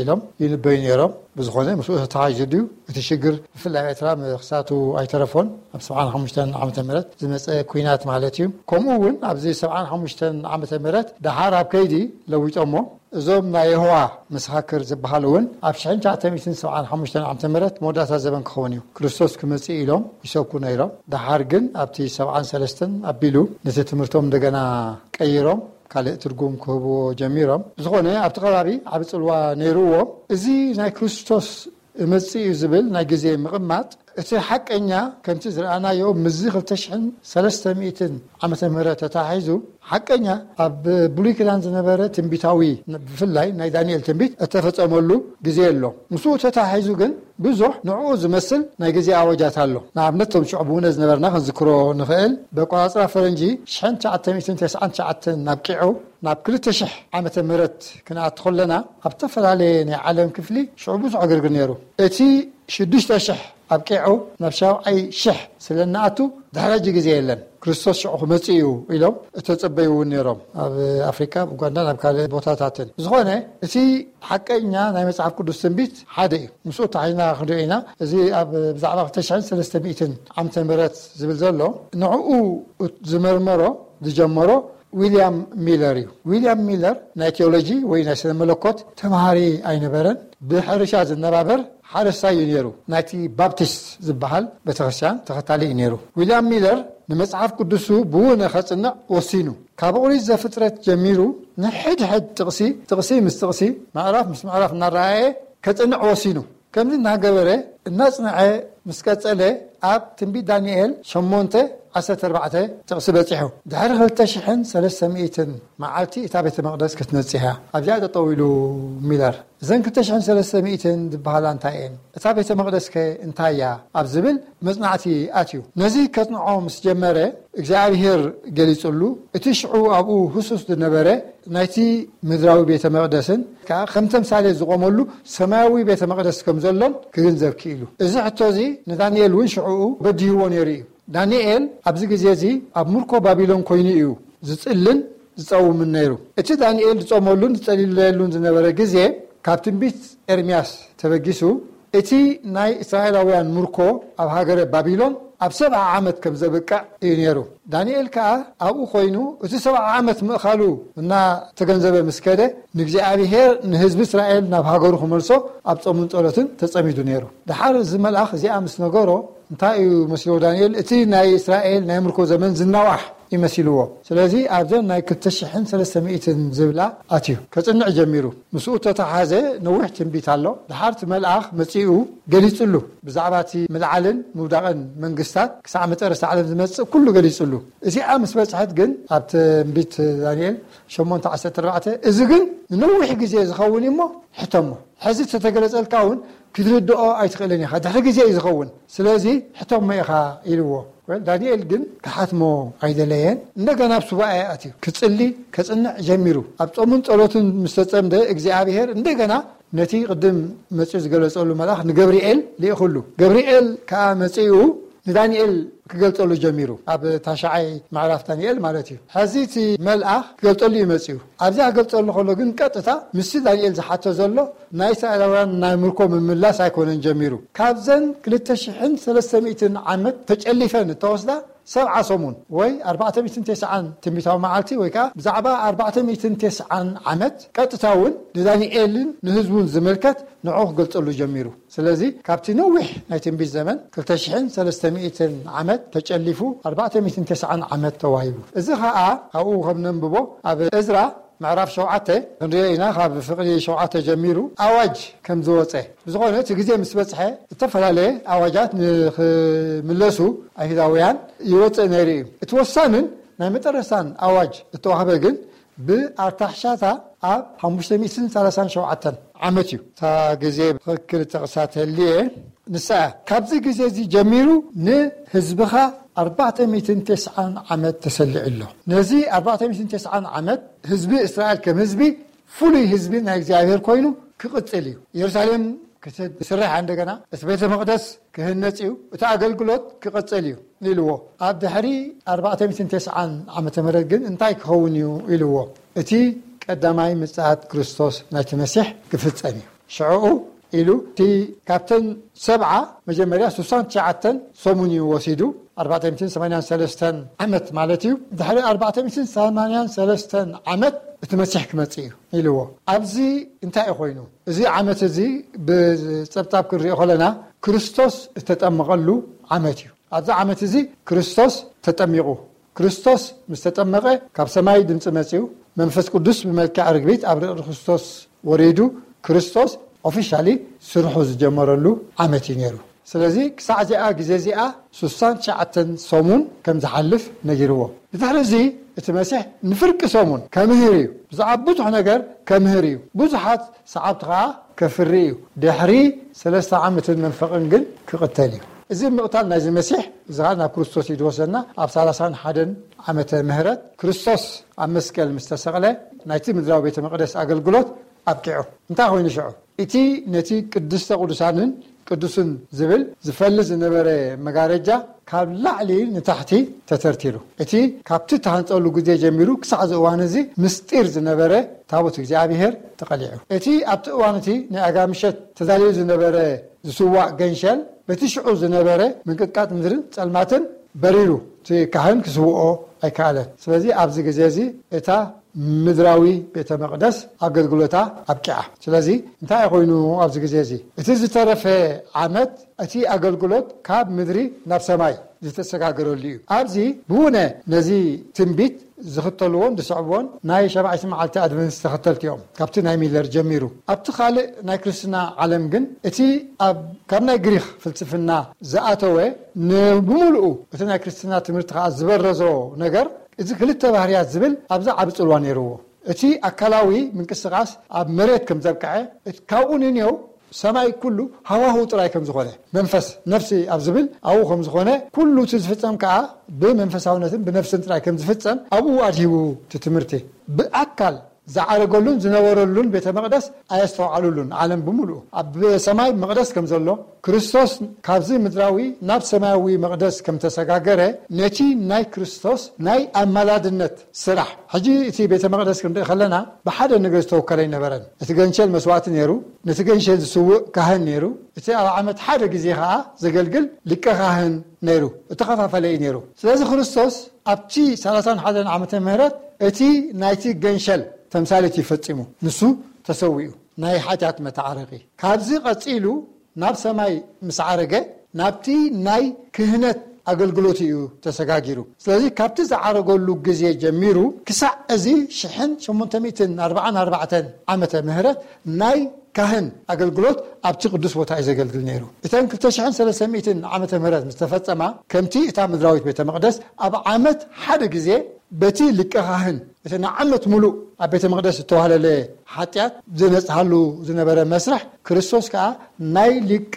ኢሎም ይንበዩ ነይሮም። ብዝኾነ ምስኡ ተተሓሒዙ ድዩ እቲ ሽግር ብፍላይ ኣብ ኤርትራ ምኽሳቱ ኣይተረፎን። ኣብ ሰብዓን ሓሙሽተን ዓመተ ምህረት ዝመጸ ኲናት ማለት እዩ። ከምኡ እውን ኣብዚ ሰብዓን ሓሙሽተን ዓመተ ምህረት ደሓር ኣብ ከይዲ ለዊጦሞ። እዞም ናይ የሆዋ መሰኻክር ዝበሃሉ እውን ኣብ ሽሕን ትሽዓተ ሚእትን ሰብዓን ሓሙሽተን ዓመተ ምህረት መወዳእታ ዘበን ክኸውን እዩ ክርስቶስ ክመጽእ ኢሎም ይሰብኩ ነይሮም። ደሓር ግን ኣብቲ ሰብዓን ሰለስተን ኣቢሉ ነቲ ትምህርቶም እንደገና ቀይሮም ካልእ ትርጉም ክህብዎ ጀሚሮም። ብዝኾነ ኣብቲ ከባቢ ዓቢ ጽልዋ ነይርዎ። እዚ ናይ ክርስቶስ እመጽእ እዩ ዝብል ናይ ግዜ ምቕማጥ እቲ ሓቀኛ ከምቲ ዝረኣናዮ ምስዚ ክልተ ሽሕን ሰለስተ ሚእትን ዓመተ ምህረት ተታሒዙ ሓቀኛ ኣብ ብሉይ ኪዳን ዝነበረ ትንቢታዊ ብፍላይ ናይ ዳንኤል ትንቢት እተፈጸመሉ ግዜ ኣሎ። ምስኡ ተታሒዙ ግን ብዙሕ ንዕኡ ዝመስል ናይ ግዜ ኣወጃት ኣሎ። ንኣብነት እቶም ሽዑ ብውነ ዝነበርና ክንዝክሮ ንኽእል። ብኣቆጻጽራ ፈረንጂ ሽሕን ትሽዓተ ሚእትን ተስዓን ትሽዓተን ኣብቂዑ ናብ ክልተ ሽሕ ዓመተ ምህረት ክንኣቱ ከለና ኣብ ዝተፈላለየ ናይ ዓለም ክፍሊ ሽዑ ብዙሕ ዕግርግር ነይሩ። እቲ ሽዱሽተ ሽሕ ኣብቂዑ ናብ ሻብዓይ ሽሕ ስለ እንኣቱ ድሕሪ ሕጂ ግዜ የለን፣ ክርስቶስ ሽዑ ክመጽእ እዩ ኢሎም እተጸበዩ እውን ነይሮም። ኣብ ኣፍሪካ፣ ኣብ ኡጋንዳን ኣብ ካልእ ቦታታትን። ዝኾነ እቲ ሓቀኛ ናይ መጽሓፍ ቅዱስ ትንቢት ሓደ እዩ። ምስኡ ተሓሒዝና ክንሪኦ ኢና። እዚ ኣብ ብዛዕባ ክልተ ሽሕን ሰለስተ ሚእትን ዓመተ ምህረት ዝብል ዘሎ ንዕኡ ዝመርመሮ ዝጀመሮ ዊልያም ሚለር እዩ። ዊልያም ሚለር ናይ ቴዎሎጂ ወይ ናይ ስነ መለኮት ተምሃሪ ኣይነበረን። ብሕርሻ ዝነባበር ሓረስታይ እዩ ነይሩ። ናይቲ ባፕቲስት ዝበሃል ቤተክርስትያን ተኸታሊ እዩ ነይሩ። ዊልያም ሚለር ንመጽሓፍ ቅዱሱ ብውነ ከጽንዕ ወሲኑ። ካብ ኦሪት ዘፍጥረት ጀሚሩ ንሕድሕድ ጥቕሲ፣ ጥቕሲ ምስ ጥቕሲ፣ ምዕራፍ ምስ ምዕራፍ እናረኣየ ከጽንዕ ወሲኑ። ከምዚ እናገበረ እናጽንዐ ምስ ቀጸለ ኣብ ትንቢት ዳንኤል ሸሞንተ ዓሰርተ ኣርባዕተ ጥቕሲ በጺሑ። ድሕሪ ክልተ ሽሕን ሰለስተ ሚእትን መዓልቲ እታ ቤተ መቕደስ ክትነጽህ እያ። ኣብዚኣ ጠጠው ኢሉ ሚለር። እዘን ክልተ ሽሕን ሰለስተ ሚእትን ዝበሃላ እንታይ እየን? እታ ቤተ መቕደስከ እንታይ እያ? ኣብ ዝብል መጽናዕቲ ኣትዩ። ነዚ ከጽንዖ ምስ ጀመረ እግዚኣብሔር ገሊጹሉ። እቲ ሽዑ ኣብኡ ህሱስ ዝነበረ ናይቲ ምድራዊ ቤተ መቕደስን ከኣ ከም ተምሳሌት ዝቖመሉ ሰማያዊ ቤተ መቕደስ ከም ዘሎን ክግንዘብ ክኢሉ። እዚ ሕቶ እዚ ንዳንኤል እውን ሽዑኡ በዲህዎ ነይሩ እዩ። ዳንኤል ኣብዚ ግዜ እዚ ኣብ ምርኮ ባቢሎን ኮይኑ እዩ ዝጽልን ዝጸውምን ነይሩ። እቲ ዳንኤል ዝጾመሉን ዝጸልየሉን ዝነበረ ግዜ ካብ ትንቢት ኤርምያስ ተበጊሱ እቲ ናይ እስራኤላውያን ምርኮ ኣብ ሃገረ ባቢሎን ኣብ ሰብዓ ዓመት ከም ዘብቅዕ እዩ ነይሩ። ዳንኤል ከኣ ኣብኡ ኮይኑ እቲ ሰብዓ ዓመት ምእኻሉ እናተገንዘበ ምስ ከደ ንእግዚኣብሔር ንህዝቢ እስራኤል ናብ ሃገሩ ክመልሶ ኣብ ጾምን ጸሎትን ተጸሚዱ ነይሩ። ደሓር እዚ መልኣኽ እዚኣ ምስ ነገሮ እንታይ እዩ መስልዎ ዳንኤል? እቲ ናይ እስራኤል ናይ ምርኮ ዘመን ዝናዋሕ ይመሲልዎ። ስለዚ ኣብዘን ናይ ክልተ ሽሕን ሰለስተ ሚእትን ዝብላ ኣትዩ ከጽንዕ ጀሚሩ። ምስኡ ተተሓዘ ነዊሕ ትንቢት ኣሎ። ድሓርቲ መልኣኽ መጺኡ ገሊጽሉ። ብዛዕባ እቲ ምልዓልን ምውዳቕን መንግስታት ክሳዕ መጨረስታ ዓለም ዝመጽእ ኩሉ ገሊጽሉ። እዚኣ ምስ በጽሐት ግን ኣብ ትንቢት ዳንኤል ሸሞንተ ዓሰርተ ኣርባዕተ፣ እዚ ግን ንነዊሕ ግዜ ዝኸውን እዩ እሞ ሕተሞ። ሕዚ ተተገለጸልካ እውን ክትርድኦ ኣይትኽእልን ኢኻ። ድሕሪ ግዜ እዩ ዝኸውን። ስለዚ ሕተሞ ኢኻ ኢልዎ። ወል ዳንኤል ግን ክሓትሞ ኣይደለየን። እንደገና ኣብ ሱባኤ ኣትዩ ክጽሊ ከጽንዕ ጀሚሩ። ኣብ ጾምን ጸሎትን ምስ ተጸምደ እግዚኣብሔር እንደገና ነቲ ቅድም መጺኡ ዝገለጸሉ መልኣኽ ንገብርኤል ልኢኹሉ። ገብርኤል ከኣ መጺኡ ንዳንኤል ክገልጸሉ ጀሚሩ። ኣብ ታሽዓይ ምዕራፍ ዳንኤል ማለት እዩ። ሕዚ እቲ መልኣኽ ክገልጸሉ እዩ መጺኡ። ኣብዚኣ ክገልጸሉ ከሎ ግን ቀጥታ ምስቲ ዳንኤል ዝሓቶ ዘሎ ናይ እስራኤላውያን ናይ ምርኮ ምምላስ ኣይኮነን ጀሚሩ። ካብዘን ክልተ ሽሕን ሰለስተ ሚእትን ዓመት ተጨሊፈን እተወስዳ ሰብዓ ሰሙን ወይ ኣርባዕተ ሚእትን ተስዓን ትንቢታዊ መዓልቲ ወይ ከኣ ብዛዕባ ኣርባዕተ ሚእትን ተስዓን ዓመት ቀጥታ እውን ንዳንኤልን ንህዝቡን ዝምልከት ንዕኡ ክገልጸሉ ጀሚሩ። ስለዚ ካብቲ ነዊሕ ናይ ትንቢት ዘመን ክልተ ሽሕን ሰለስተ ሚእትን ዓመት ተጨሊፉ ኣርባዕተ ሚእትን ተስዓን ዓመት ተዋሂቡ። እዚ ኸኣ ኣብኡ ከም ነንብቦ ኣብ እዝራ ምዕራፍ ሸውዓተ ክንሪኦ ኢና። ካብ ፍቕዲ ሸውዓተ ጀሚሩ ኣዋጅ ከም ዝወጸ፣ ብዝኾነ እቲ ግዜ ምስ በጽሐ እተፈላለየ ኣዋጃት ንኽምለሱ ኣይሁዳውያን ይወጽእ ነይሩ እዩ። እቲ ወሳንን ናይ መጠረስታን ኣዋጅ እተዋህበ ግን ብኣርታሕሻታ ኣብ ሓሙሽተ ሚእትን ሰላሳን ሸውዓተን ዓመት እዩ። እታ ግዜ ትኽክል ጠቕሳ ተልየ ንሳ እያ። ካብዚ ግዜ እዚ ጀሚሩ ንህዝብኻ ኣርባዕተ ሚእትን ተስዓን ዓመት ተሰሊዑ ኣሎ። ነዚ ኣርባዕተ ሚእትን ተስዓን ዓመት ህዝቢ እስራኤል ከም ህዝቢ ፍሉይ ህዝቢ ናይ እግዚኣብሔር ኮይኑ ክቕጽል እዩ። ኢየሩሳሌም ክትስራሕ እንደገና፣ እቲ ቤተ መቕደስ ክህነጽ እዩ፣ እቲ ኣገልግሎት ክቕጽል እዩ ኢልዎ። ኣብ ድሕሪ ኣርባዕተ ሚእትን ተስዓን ዓመተ ምህረት ግን እንታይ ክኸውን እዩ ኢልዎ። እቲ ቀዳማይ ምጽኣት ክርስቶስ ናይቲ መሲሕ ክፍጸም እዩ። ሽዕኡ ኢሉ እቲ ካብተን ሰብዓ መጀመርያ ስሳን ትሽዓተን ሰሙን እዩ ወሲዱ፣ ኣርባዕተ ሚእትን ሰማንያን ሰለስተን ዓመት ማለት እዩ። ድሕሪ ኣርባዕተ ሚእትን ሰማንያን ሰለስተን ዓመት እቲ መሲሕ ክመጽእ እዩ ኢልዎ። ኣብዚ እንታይ እዩ ኮይኑ? እዚ ዓመት እዚ ብጸብጻብ ክንሪኦ ከለና ክርስቶስ እተጠመቐሉ ዓመት እዩ። ኣብዚ ዓመት እዚ ክርስቶስ ተጠሚቑ። ክርስቶስ ምስ ተጠመቐ ካብ ሰማይ ድምፂ መፂኡ፣ መንፈስ ቅዱስ ብመልክዕ ርግቢት ኣብ ርእሲ ክርስቶስ ወሪዱ፣ ክርስቶስ ኦፊሻሊ ስርሑ ዝጀመረሉ ዓመት እዩ ነይሩ። ስለዚ ክሳዕ እዚኣ ግዜ እዚኣ ስሳን ትሽዓተን ሰሙን ከም ዝሓልፍ ነጊርዎ። ብድሕሪ እዚ እቲ መሲሕ ንፍርቂ ሰሙን ከምህር እዩ። ብዛዕባ ብዙሕ ነገር ከምህር እዩ። ብዙሓት ሰዓብቲ ኸዓ ከፍሪ እዩ። ድሕሪ ሰለስተ ዓመትን መንፈቕን ግን ክቕተል እዩ። እዚ ምቕታል ናይዚ መሲሕ እዚ ኸዓ ናብ ክርስቶስ እዩ ዝወስደና። ኣብ ሰላሳን ሓደን ዓመተ ምህረት ክርስቶስ ኣብ መስቀል ምስ ተሰቕለ ናይቲ ምድራዊ ቤተ መቕደስ ኣገልግሎት ኣብቂዑ። እንታይ ኮይኑ ሽዑ? እቲ ነቲ ቅድስተ ቅዱሳንን ቅዱስን ዝብል ዝፈሊ ዝነበረ መጋረጃ ካብ ላዕሊ ንታሕቲ ተተርቲሩ። እቲ ካብቲ ተሃንጸሉ ግዜ ጀሚሩ ክሳዕ እዚ እዋን እዚ ምስጢር ዝነበረ ታቦት እግዚኣብሔር ተቐሊዑ። እቲ ኣብቲ እዋን እቲ ናይ ኣጋ ምሸት ተዳልዩ ዝነበረ ዝስዋእ ገንሸል በቲ ሽዑ ዝነበረ ምንቅጥቃጥ ምድርን ጸልማትን በሪሩ፣ እቲ ካህን ክስውኦ ኣይከኣለን። ስለዚ ኣብዚ ግዜ እዚ እታ ምድራዊ ቤተ መቕደስ ኣገልግሎታ ኣብቂዓ። ስለዚ እንታይ ኮይኑ ኣብዚ ግዜ እዚ? እቲ ዝተረፈ ዓመት እቲ ኣገልግሎት ካብ ምድሪ ናብ ሰማይ ዝተሰጋገረሉ እዩ። ኣብዚ ብውነ ነዚ ትንቢት ዝኽተልዎን ዝስዕብዎን ናይ ሸባዒት መዓልቲ ኣድቨንቲስት ተኸተልቲ እዮም። ካብቲ ናይ ሚለር ጀሚሩ ኣብቲ ካልእ ናይ ክርስትና ዓለም ግን እቲ ኣብ ካብ ናይ ግሪኽ ፍልስፍና ዝኣተወ ንብምሉኡ እቲ ናይ ክርስትና ትምህርቲ ከዓ ዝበረዞ ነገር እዚ ክልተ ባህርያት ዝብል ኣብዚ ዓቢ ጽልዋ ነይርዎ። እቲ ኣካላዊ ምንቅስቃስ ኣብ መሬት ከም ዘብቅዐ፣ እቲ ካብኡ ንንየው ሰማይ ኩሉ ሃዋህው ጥራይ ከም ዝኾነ፣ መንፈስ፣ ነፍሲ ኣብ ዝብል ኣብኡ ከም ዝኾነ፣ ኩሉ እቲ ዝፍጸም ከኣ ብመንፈሳውነትን ብነፍስን ጥራይ ከም ዝፍጸም ኣብኡ ኣድሂቡ እቲ ትምህርቲ። ብኣካል ዝዓረገሉን ዝነበረሉን ቤተ መቕደስ ኣየስተውዓሉሉን። ዓለም ብምሉኡ ኣብ ሰማይ መቕደስ ከም ዘሎ፣ ክርስቶስ ካብዚ ምድራዊ ናብ ሰማያዊ መቕደስ ከም ተሰጋገረ፣ ነቲ ናይ ክርስቶስ ናይ ኣማላድነት ስራሕ። ሕጂ እቲ ቤተ መቕደስ ክንርኢ ከለና ብሓደ ነገር ዝተወከለ ኣይነበረን። እቲ ገንሸል መስዋእቲ ነይሩ፣ ነቲ ገንሸል ዝስውእ ካህን ነይሩ፣ እቲ ኣብ ዓመት ሓደ ግዜ ኸዓ ዘገልግል ሊቀ ካህን ነይሩ። እተኸፋፈለ እዩ ነይሩ። ስለዚ ክርስቶስ ኣብቲ ሰላሳን ሓደን ዓመተ ምህረት እቲ ናይቲ ገንሸል ተምሳሌት እዩ ፈጺሙ። ንሱ ተሰዊኡ ናይ ሓጢኣት መተዓረቂ። ካብዚ ቀጺሉ ናብ ሰማይ ምስ ዓረገ ናብቲ ናይ ክህነት ኣገልግሎት እዩ ተሰጋጊሩ። ስለዚ ካብቲ ዝዓረገሉ ግዜ ጀሚሩ ክሳዕ እዚ ሽሕን ሸሞንተ ሚእትን ኣርባዓን ኣርባዕተን ዓመተ ምህረት ናይ ካህን ኣገልግሎት ኣብቲ ቅዱስ ቦታ እዩ ዘገልግል ነይሩ። እተን ክልተ ሽሕን ሰለስተ ሚእትን ዓመተ ምህረት ምስ ተፈጸማ፣ ከምቲ እታ ምድራዊት ቤተ መቕደስ ኣብ ዓመት ሓደ ግዜ በቲ ሊቀ ካህን እቲ ንዓመት ሙሉእ ኣብ ቤተ መቕደስ ዝተዋህለለ ሓጢኣት ዝነጽሃሉ ዝነበረ መስርሕ፣ ክርስቶስ ከኣ ናይ ሊቀ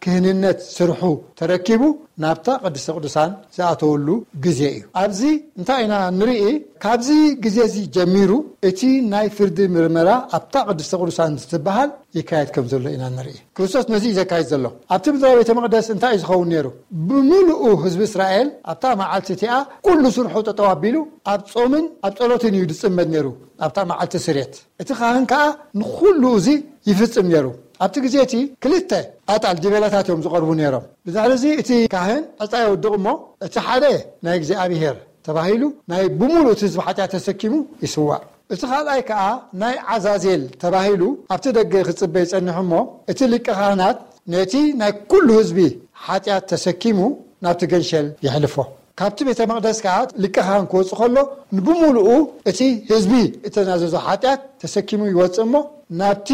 ክህንነት ስርሑ ተረኪቡ ናብታ ቅድስተ ቅዱሳን ዝኣተወሉ ግዜ እዩ። ኣብዚ እንታይ ኢና ንርኢ? ካብዚ ግዜ እዚ ጀሚሩ እቲ ናይ ፍርዲ ምርመራ ኣብታ ቅድስተ ቅዱሳን ዝትበሃል ይካየድ ከም ዘሎ ኢና ንርኢ። ክርስቶስ ነዚ እዩ ዘካይድ ዘሎ። ኣብቲ ምድራዊ ቤተ መቕደስ እንታይ እዩ ዝኸውን ነይሩ? ብምሉኡ ህዝቢ እስራኤል ኣብታ መዓልቲ እቲኣ ኩሉ ስርሑ ጠጠው ኣቢሉ ኣብ ጾምን ኣብ ጸሎትን እዩ ዝጽመድ ነይሩ። ኣብታ መዓልቲ ስሬት እቲ ካህን ከኣ ንኹሉ እዚ ይፍጽም ነይሩ። ኣብቲ ግዜ እቲ ክልተ ኣጣል ዲቤላታት እዮም ዝቐርቡ ነይሮም። ብድሕሪ እዚ እቲ ካህን ዕፃ የውድቕ እሞ እቲ ሓደ ናይ እግዚኣብሔር ተባሂሉ ናይ ብምሉእ እቲ ህዝቢ ሓጢኣት ተሰኪሙ ይስዋእ። እቲ ካልኣይ ከኣ ናይ ዓዛዜል ተባሂሉ ኣብቲ ደገ ክጽበ ይጸንሕ እሞ እቲ ሊቀ ካህናት ነቲ ናይ ኩሉ ህዝቢ ሓጢኣት ተሰኪሙ ናብቲ ገንሸል የሕልፎ። ካብቲ ቤተ መቕደስ ከኣ ሊቀ ካህን ክወጽእ ከሎ ንብምሉኡ እቲ ህዝቢ እተናዘዞ ሓጢኣት ተሰኪሙ ይወጽእ እሞ ናብቲ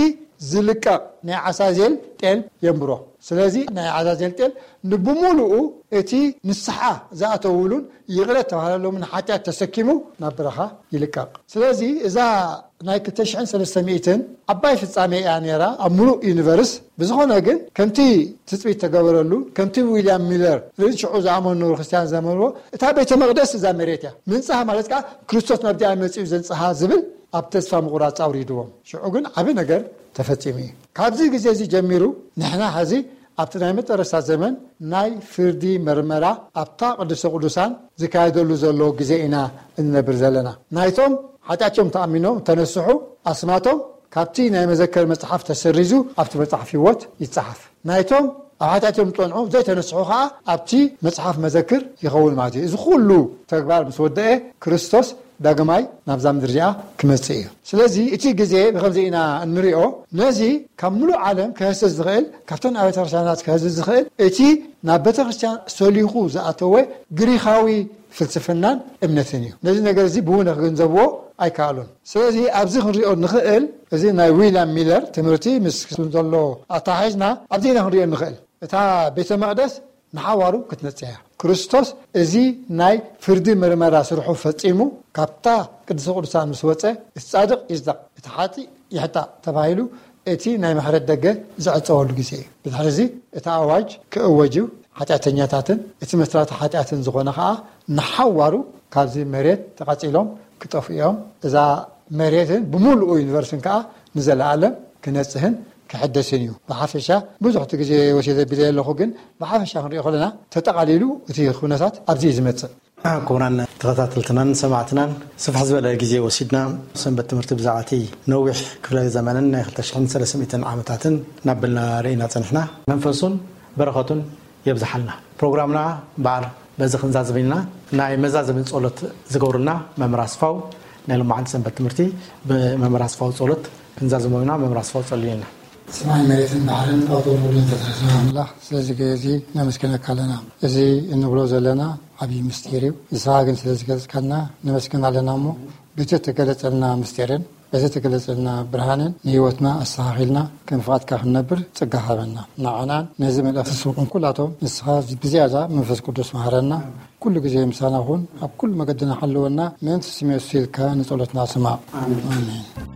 ዝልቀቕ ናይ ዓዛዜል ጤል የንብሮ። ስለዚ ናይ ዓዛዜል ጤል ንብምሉኡ እቲ ንስሓ ዝኣተውሉን ይቕረ ተባሃለሎምን ሓጢኣት ተሰኪሙ ናብ በረኻ ይልቀቕ። ስለዚ እዛ ናይ ክልተ ሽሕን ሰለስተ ሚእትን ዓባይ ፍጻሜ እያ ነይራ ኣብ ምሉእ ዩኒቨርስ። ብዝኾነ ግን ከምቲ ትጽቢት ተገበረሉ፣ ከምቲ ዊልያም ሚለር ርን ሽዑ ዝኣመኑ ነበሩ ክርስትያን ዘመንዎ፣ እታ ቤተ መቕደስ እዛ መሬት እያ። ምንጻህ ማለት ከኣ ክርስቶስ ናብዚኣ መጺኡ ዘንጽሃ ዝብል ኣብ ተስፋ ምቑራጽ ኣውሪድዎም። ሽዑ ግን ዓቢ ነገር ተፈጺሙ እዩ። ካብዚ ግዜ እዚ ጀሚሩ ንሕና ሐዚ ኣብቲ ናይ መጨረሻ ዘመን ናይ ፍርዲ መርመራ ኣብታ ቅድስተ ቅዱሳን ዝካየደሉ ዘሎ ግዜ ኢና እንነብር ዘለና። ናይቶም ሓጢኣቶም ተኣሚኖም ተነስሑ ኣስማቶም ካብቲ ናይ መዘከር መጽሓፍ ተሰሪዙ ኣብቲ መጽሓፍ ህይወት ይጸሓፍ። ናይቶም ኣብ ሓጢኣቶም ዝጸንዑ ዘይተነስሑ ከኣ ኣብቲ መጽሓፍ መዘክር ይኸውን ማለት እዩ። እዚ ኩሉ ተግባር ምስ ወደአ ክርስቶስ ዳግማይ ናብዛ ምድሪ እዚኣ ክመጽእ እዩ። ስለዚ እቲ ግዜ ብኸምዚ ኢና እንሪኦ። ነዚ ካብ ምሉእ ዓለም ክህስስ ዝኽእል፣ ካብተን ኣብያተ ክርስቲያናት ክህስስ ዝኽእል እቲ ናብ ቤተ ክርስቲያን ሰሊኹ ዝኣተወ ግሪኻዊ ፍልስፍናን እምነትን እዩ። ነዚ ነገር እዚ ብውነ ክግንዘብዎ ኣይከኣሉን። ስለዚ ኣብዚ ክንሪኦ ንኽእል፣ እዚ ናይ ዊልያም ሚለር ትምህርቲ ምስ ዘሎ ኣተሓሒዝና ኣብዚ ኢና ክንሪኦ ንኽእል። እታ ቤተ መቕደስ ንሓዋሩ ክትነጽህ እያ። ክርስቶስ እዚ ናይ ፍርዲ መርመራ ስርሑ ፈጺሙ ካብታ ቅድስተ ቅዱሳን ምስ ወጸ፣ እቲ ጻድቕ ይጽደቕ፣ እቲ ሓጢእ ይሕጣእ ተባሂሉ እቲ ናይ ምሕረት ደገ ዝዕጸወሉ ግዜ እዩ። ብድሕሪ እዚ እቲ ኣዋጅ ክእወጅ እዩ። ሓጢኣተኛታትን እቲ መስራቲ ሓጢኣትን ዝኾነ ኸኣ ንሓዋሩ ካብዚ መሬት ተቐጺሎም ክጠፍኡ እዮም። እዛ መሬትን ብምሉኡ ዩኒቨርስን ከኣ ንዘለኣለም ክነጽህን ክሕደስን እዩ። ብሓፈሻ ብዙሕ እቲ ግዜ ወሲደ ቢለ ኣለኹ፣ ግን ብሓፈሻ ክንሪኦ ከለና ተጠቓሊሉ እቲ ኩነታት ኣብዚ እዩ ዝመጽእ። ክቡራን ተኸታተልትናን ሰማዕትናን፣ ስፍሕ ዝበለ ግዜ ወሲድና ሰንበት ትምህርቲ ብዛዕባ እቲ ነዊሕ ክፍለ ዘመንን ናይ ክልተ ሽሕን ሰለስተ ሚእትን ዓመታትን እናበልና ርኢና ጸኒሕና። መንፈሱን በረኸቱን የብዝሓልና። ፕሮግራምና በዓል በዚ ክንዛዝም ኢና። ናይ መዛዘሚ ጸሎት ዝገብሩልና መምህር ኣስፋው፣ ናይ ሎማዓንቲ ሰንበት ትምህርቲ ብመምህር ኣስፋው ጸሎት ክንዛዝሞ ኢና። መምህር ኣስፋው ጸልዩልና። ሰማይ መሬትን ባሕርን ኣብ ጥቕሚ ኩሉ ዝተሰርሐ ኣምላኽ፣ ስለዚ ግዜ እዚ ነመስግነካ ኣለና። እዚ እንብሎ ዘለና ዓብዪ ምስጢር እዩ። ንስኻ ግን ስለ ዝገለጽካልና ነመስግን ኣለና። እሞ በቲ እተገለጸልና ምስጢርን በቲ እተገለጸልና ብርሃንን ንህይወትና ኣስተኻኺልና ከም ፍቓድካ ክንነብር ጸጋ ሃበና። ንዓናን ነዚ መልእኽቲ ዝሰምዑን ኩላቶም ንስኻ ብዝያዳ መንፈስ ቅዱስ መሃረና። ኩሉ ግዜ ምሳና ኩን፣ ኣብ ኩሉ መገድና ሓልወና። ምእንቲ ስም የሱስ ኢልካ ንጸሎትና ስማዕ። ኣሜን። ኣሜን።